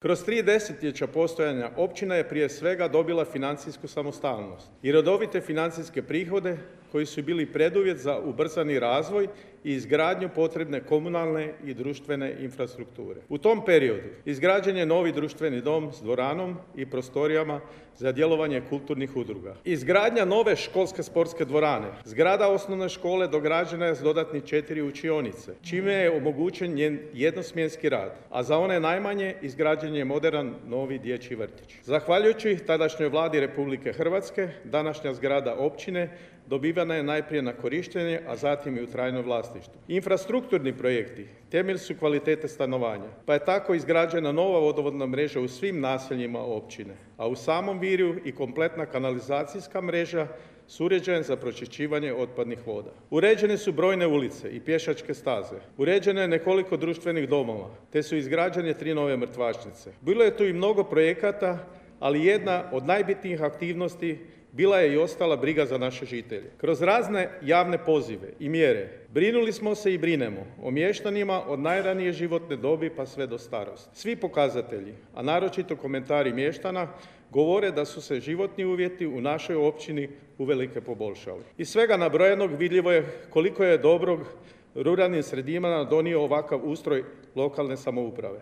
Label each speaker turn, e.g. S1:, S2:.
S1: Kroz 3 desetljeća postojanja općina je prije svega dobila financijsku samostalnost i redovite financijske prihode koji su bili preduvjet za ubrzani razvoj i izgradnju potrebne komunalne i društvene infrastrukture. U tom periodu izgrađen je novi društveni dom s dvoranom i prostorijama za djelovanje kulturnih udruga. Izgradnja nove školske sportske dvorane, zgrada osnovne škole dograđena je s dodatnih 4 učionice, čime je omogućen njen jednosmjenski rad, a za one najmanje izgrađen je moderan novi dječji vrtić. Zahvaljujući tadašnjoj vladi Republike Hrvatske, današnja zgrada općine dobivana je najprije na korištenje, a zatim i u trajno vlasništvo. Infrastrukturni projekti temelj su kvalitete stanovanja, pa je tako izgrađena nova vodovodna mreža u svim naseljima općine, a u samom Virju i kompletna kanalizacijska mreža s uređajem za pročišćivanje otpadnih voda. Uređene su brojne ulice i pješačke staze, uređeno je nekoliko društvenih domova, te su izgrađene 3 nove mrtvačnice. Bilo je tu i mnogo projekata, ali jedna od najbitnijih aktivnosti bila je i ostala briga za naše žitelje. Kroz razne javne pozive i mjere brinuli smo se i brinemo o mještanima od najranije životne dobi pa sve do starosti. Svi pokazatelji, a naročito komentari mještana, govore da su se životni uvjeti u našoj općini uvelike poboljšali. Iz svega nabrojenog vidljivo je koliko je dobrog ruralnim sredinama donio ovakav ustroj lokalne samouprave.